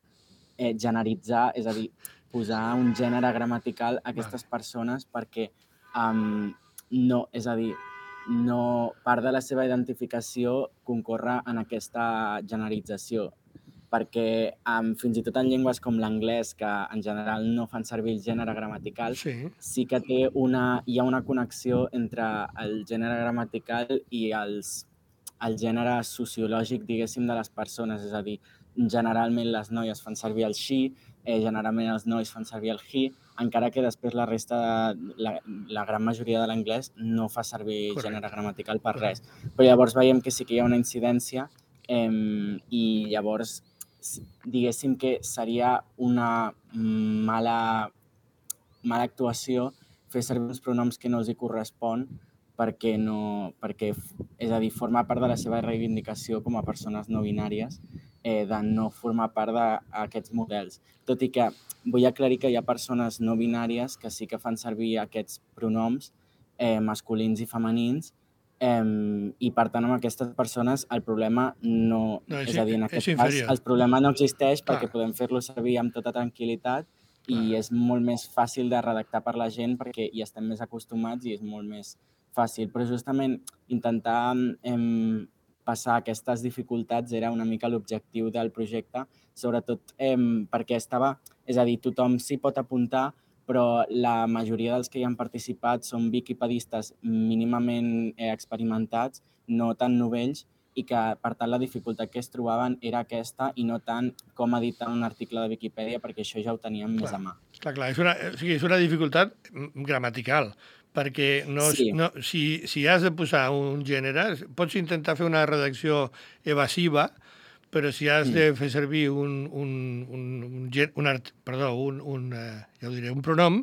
generalitzar, és a dir, posar un gènere gramatical a aquestes persones perquè part de la seva identificació concorre en aquesta generalització. Perquè fins i tot en llengües com l'anglès, que en general no fan servir el gènere gramatical, sí que hi ha una connexió entre el gènere gramatical i el gènere sociològic, diguéssim, de les persones. És a dir, generalment les noies fan servir el she, generalment els nois fan servir el he, encara que després la resta, la gran majoria de l'anglès no fa servir gènere gramatical per res. Però llavors veiem que sí que hi ha una incidència i llavors diguéssim que seria una mala actuació fer servir uns pronoms que no els hi correspon perquè, és a dir, forma part de la seva reivindicació com a persones no binàries de no formar part d'aquests models. Tot i que vull aclarir que hi ha persones no binàries que sí que fan servir aquests pronoms masculins i femenins i, per tant, amb aquestes persones el problema no... És a dir, en aquest cas, el problema no existeix perquè podem fer-lo servir amb tota tranquil·litat i és molt més fàcil de redactar per la gent perquè hi estem més acostumats i és molt més fàcil. Però justament intentar passar aquestes dificultats era una mica l'objectiu del projecte, sobretot perquè és a dir, tothom s'hi pot apuntar, però la majoria dels que hi han participat són wikipedistes mínimament experimentats, no tan novells, i que, per tant, la dificultat que es trobaven era aquesta i no tant com editar un article de Viquipèdia, perquè això ja ho teníem més a mà. Clar, és una dificultat gramatical, perquè si has de posar un gènere, pots intentar fer una redacció evasiva, però si has de fer servir un pronom,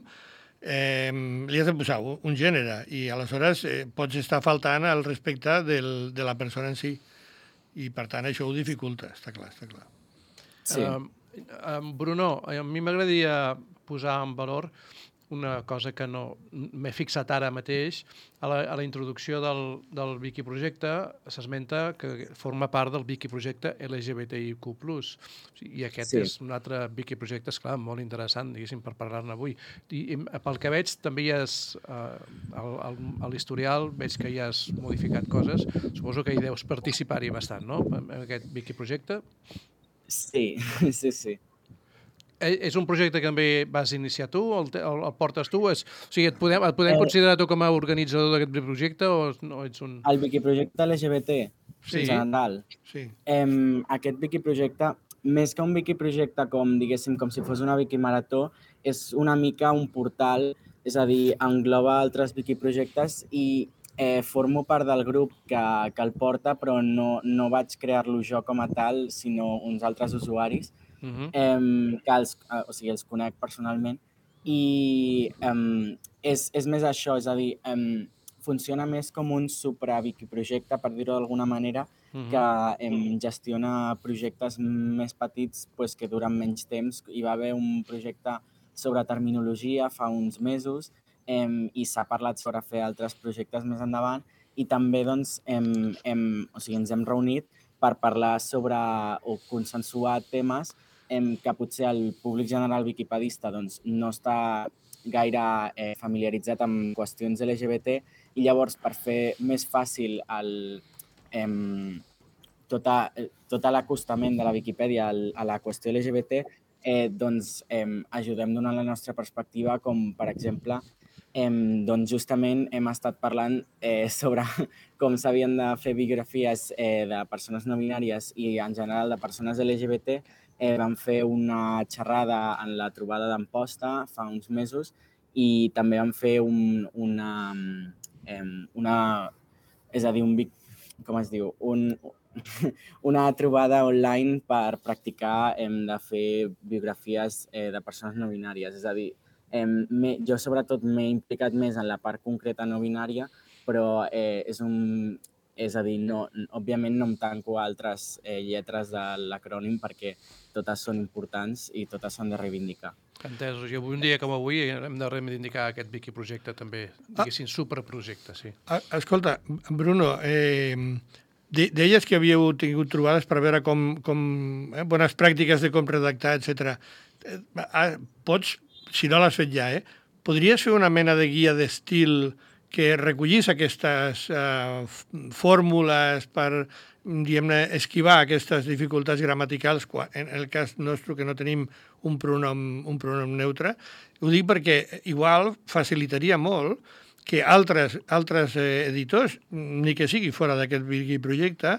li has de posar un gènere i aleshores pots estar faltant al respecte de la persona en si. I, per tant, això ho dificulta, està clar. Sí. Bruno, a mi m'agradaria posar en valor una cosa que no m'he fixat ara mateix. A la introducció del Wikiprojecte s'esmenta que forma part del Wikiprojecte LGBTIQ+. I aquest és un altre Wikiprojecte, esclar, molt interessant, diguéssim, per parlar-ne avui. I pel que veig, també hi has, a l'historial, veig que hi has modificat coses. Suposo que hi deus participar-hi bastant, no?, en aquest Wikiprojecte. Sí. És un projecte que també vas iniciar tu, el portes tu? O sigui, et podem considerar tu com a organitzador d'aquest projecte o no ets un... El Wikiprojecte LGBT, Sí. en general. Sí. Aquest Wikiprojecte, més que un Wikiprojecte com, diguéssim, com si fos una Wikimarató, és una mica un portal, és a dir, engloba altres Wikiprojectes i formo part del grup que el porta, però no vaig crear-lo jo com a tal, sinó uns altres usuaris, que els conec personalment. I és més això, és a dir, funciona més com un supra-wikiprojecte, per dir-ho d'alguna manera, que gestiona projectes més petits que duren menys temps. Hi va haver un projecte sobre terminologia fa uns mesos i s'ha parlat sobre fer altres projectes més endavant i també doncs, ens hem reunit per parlar sobre o consensuar temes que potser el públic general wikipedista doncs, no està gaire familiaritzat amb qüestions LGBT i llavors per fer més fàcil tot l'acostament de la Viquipèdia a la qüestió LGBT, doncs ajudem donant la nostra perspectiva, com per exemple doncs justament hem estat parlant sobre com s'havien de fer biografies de persones no binàries i en general de persones LGBT. Vam fer una xerrada en la trobada d'Amposta fa uns mesos i també vam fer una trobada online per practicar de fer biografies de persones no binàries. És a dir, jo sobretot m'he implicat més en la part concreta no binària, però és a dir, òbviament no em tanco a altres lletres de l'acrònim perquè totes són importants i totes s'han de reivindicar. Entesos. I un dia com avui hem de reivindicar aquest Wikiprojecte també, diguéssim, superprojecte, sí. Escolta, Bruno, deies que havíeu tingut trobades per veure com bones pràctiques de com redactar, etc. Pots, si no l'has fet ja, podries fer una mena de guia d'estil que recollís aquestes fórmules per, diguem-ne, esquivar aquestes dificultats gramaticals, en el cas nostre que no tenim un pronom neutre. Ho dic perquè igual facilitaria molt que altres editors, ni que sigui fora d'aquest Wikiprojecte,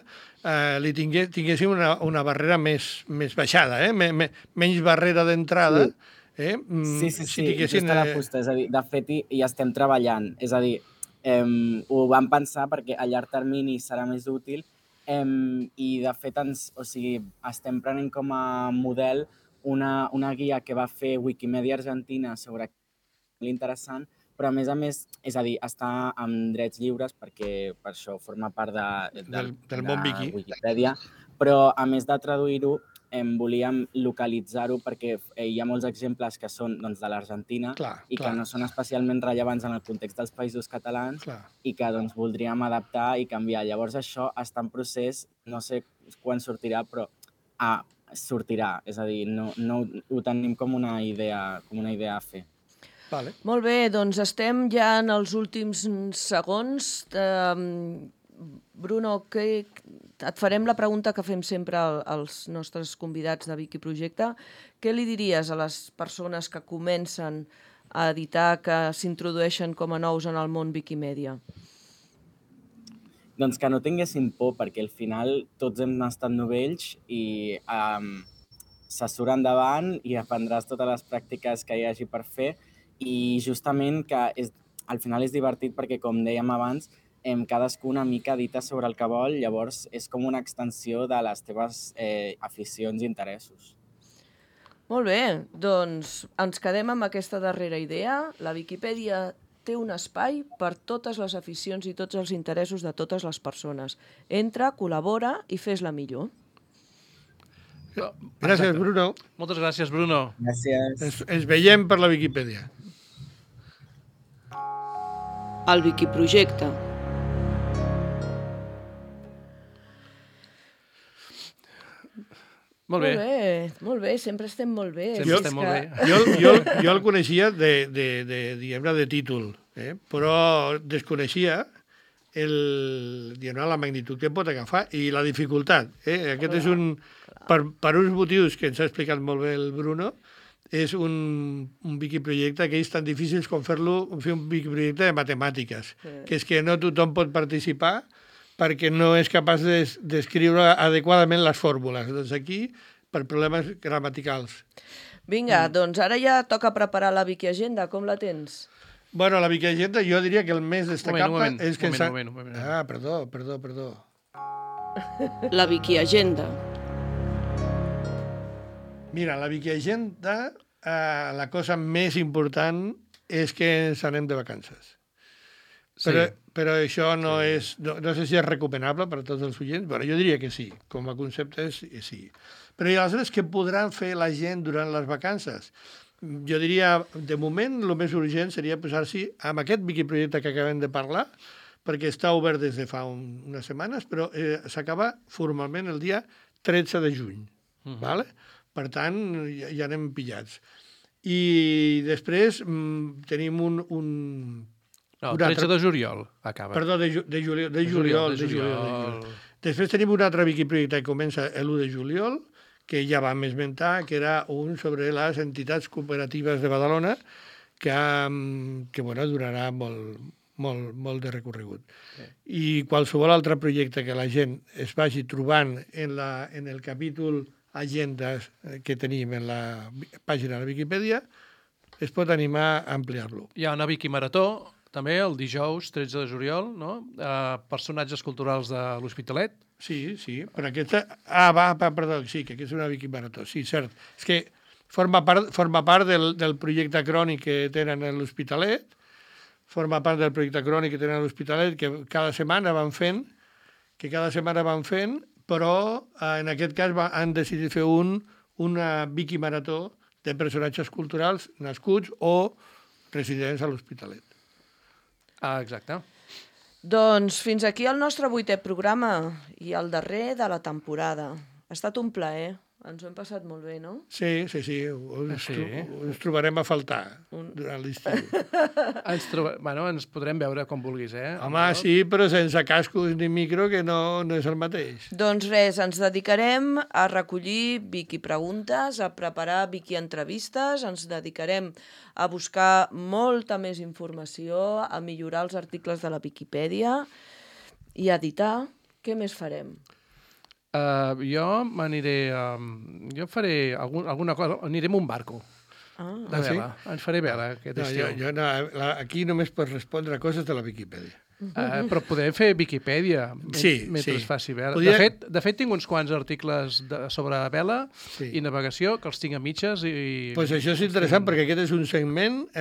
li tinguessin una barrera més baixada, menys barrera d'entrada. Sí, just a la fusta. És a dir, de fet, hi estem treballant. És a dir, ho vam pensar perquè a llarg termini serà més útil i, de fet, estem prenent com a model una guia que va fer Wikimedia Argentina sobre l'interessant, però, a més, és a dir, està amb drets lliures perquè per això forma part del món Wiki. Wikipedia, però, a més de traduir-ho, volíem localitzar-ho perquè hi ha molts exemples que són de l'Argentina i que no són especialment rellevants en el context dels països catalans i que voldríem adaptar i canviar. Llavors això està en procés, no sé quan sortirà, però sortirà. És a dir, no ho tenim com una idea a fer. Vale. Molt bé, doncs estem ja en els últims segons. Bruno, et farem la pregunta que fem sempre als nostres convidats de Wikiprojecte. Què li diries a les persones que comencen a editar, que s'introdueixen com a nous en el món Wikimedia? Doncs que no tinguessin por, perquè al final tots hem estat novells i se surt endavant i aprendràs totes les pràctiques que hi hagi per fer i justament que al final és divertit perquè, com dèiem abans, cadascú una mica edita sobre el que vol, llavors és com una extensió de les teves aficions i interessos. Molt bé, doncs ens quedem amb aquesta darrera idea. La Viquipèdia té un espai per totes les aficions i tots els interessos de totes les persones. Entra, col·labora i fes-la millor. Gràcies, Bruno. Moltes gràcies, Bruno. Gràcies. Ens veiem per la Viquipèdia. el Wikiprojecte. Molt bé. Molt bé, sempre estem molt bé. Sempre estem molt bé. Jo el coneixia de títol, però desconeixia la magnitud que pot agafar i la dificultat. Aquest és per uns motius que ens ha explicat molt bé el Bruno, és un wikiprojecte que és tan difícil com fer un wikiprojecte de matemàtiques, que és que no tothom pot participar perquè no és capaç d'escriure adequadament les fórmules. Doncs aquí, per problemes gramaticals. Vinga, doncs ara ja toca preparar la Wikiagenda. Com la tens? Bueno, la Wikiagenda jo diria que el més destacable és que... Un moment. Ah, perdó. La Wikiagenda. Mira, la Wikiagenda, la cosa més important és que ens anem de vacances. Però això no sé si és recomanable per a tots els oients. Bueno, jo diria que sí, com a concepte sí. Però i aleshores què podran fer la gent durant les vacances? Jo diria, de moment, el més urgent seria posar-s'hi amb aquest wikiprojecte que acabem de parlar, perquè està obert des de fa unes setmanes, però s'acaba formalment el dia 13 de juny. Vale? Per tant, ja anem pillats. I després tenim No, el 13 de juliol acaba. Perdó, de juliol. Després tenim un altre wikiprojecte que comença l'1 de juliol, que ja vam esmentar, que era un sobre les entitats cooperatives de Badalona, que durarà molt de recorregut. I qualsevol altre projecte que la gent es vagi trobant en el capítol agendes que tenim en la pàgina de la Viquipèdia, es pot animar a ampliar-lo. Hi ha una Wikimarató, també, el dijous 13 de juliol, no? Personatges culturals de l'Hospitalet. Sí, però aquesta... perdó, sí, que aquesta és una Wikimarató, sí, cert. És que forma part del projecte crònic que tenen a l'Hospitalet, que cada setmana van fent, però en aquest cas han decidit fer una Wikimarató de personatges culturals nascuts o residents a l'Hospitalet. Ah, exacte. Doncs fins aquí el nostre 8è programa i el darrer de la temporada. Ha estat un plaer. Ens ho hem passat molt bé, no? Sí. Ens trobarem a faltar durant l'estiu. Ens podrem veure com vulguis, eh? Home, sí, però sense cascos ni micro, que no és el mateix. Doncs res, ens dedicarem a recollir Wikipreguntes, a preparar Wikientrevistes, ens dedicarem a buscar molta més informació, a millorar els articles de la Viquipèdia i a editar. Què més farem? Jo m'aniré... Jo faré alguna cosa... Aniré amb un barco. De vela. Ens faré vela aquest estiu. Aquí només pots respondre a coses de la Viquipèdia. Però podem fer Viquipèdia mentre es faci vela. De fet, tinc uns quants articles sobre vela i navegació que els tinc a mitges. Doncs això és interessant perquè aquest és un segment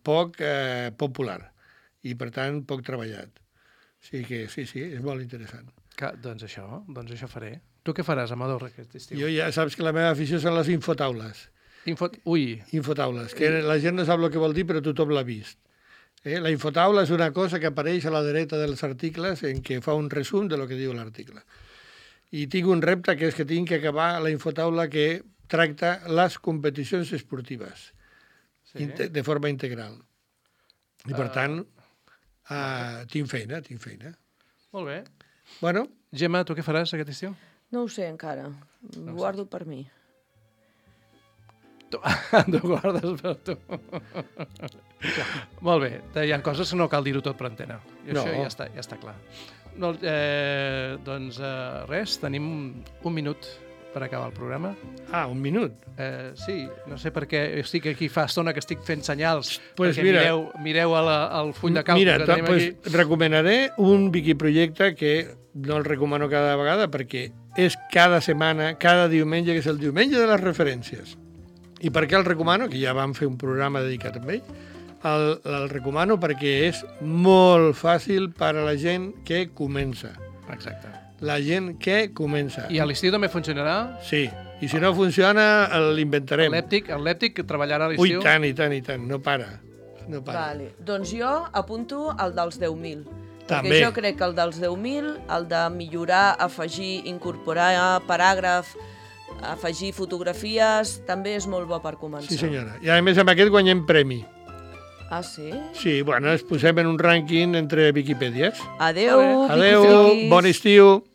poc popular i, per tant, poc treballat. Sí, és molt interessant. Doncs això faré. Tu què faràs, Amador, aquest estiu? Jo ja saps que la meva afició són les infotaules. Infotaules, que la gent no sap el que vol dir, però tothom l'ha vist. La infotaula és una cosa que apareix a la dreta dels articles en què fa un resum de lo que diu l'article. I tinc un repte, que és que tinc que acabar la infotaula que tracta les competicions esportives de forma integral. I, per tant, tinc feina. Molt bé. Bueno. Gemma, tu què faràs aquest estiu? No ho sé encara. Ho guardo per mi. Tu guardes per tu. Molt bé. Hi ha coses que no cal dir-ho tot per antena. I això ja està clar. Doncs res, tenim un minut per acabar el programa. Un minut? Sí, no sé per què estic aquí fa estona que estic fent senyals, pues perquè mireu el full de càlcul que tenim aquí. Recomanaré un wikiprojecte que no el recomano cada vegada perquè és cada setmana, cada diumenge, que és el diumenge de les referències. I per què el recomano? Que ja vam fer un programa dedicat a ell. El recomano perquè és molt fàcil per a la gent que comença. Exacte. La gent que comença. I a l'estiu també funcionarà? Sí. I si no funciona, l'inventarem. El lèptic treballarà a l'estiu? Ui, tant, no para. no para. Vale. Doncs jo apunto el dels 10.000. També. Perquè jo crec que el dels 10.000, el de millorar, afegir, incorporar paràgraf, afegir fotografies, també és molt bo per començar. Sí, senyora. I a més amb aquest guanyem premi. Ah, sí? Sí, bueno, ens posem en un rànquing entre Viquipèdies. Adeu, Adeu, Viquipedis. bon estiu.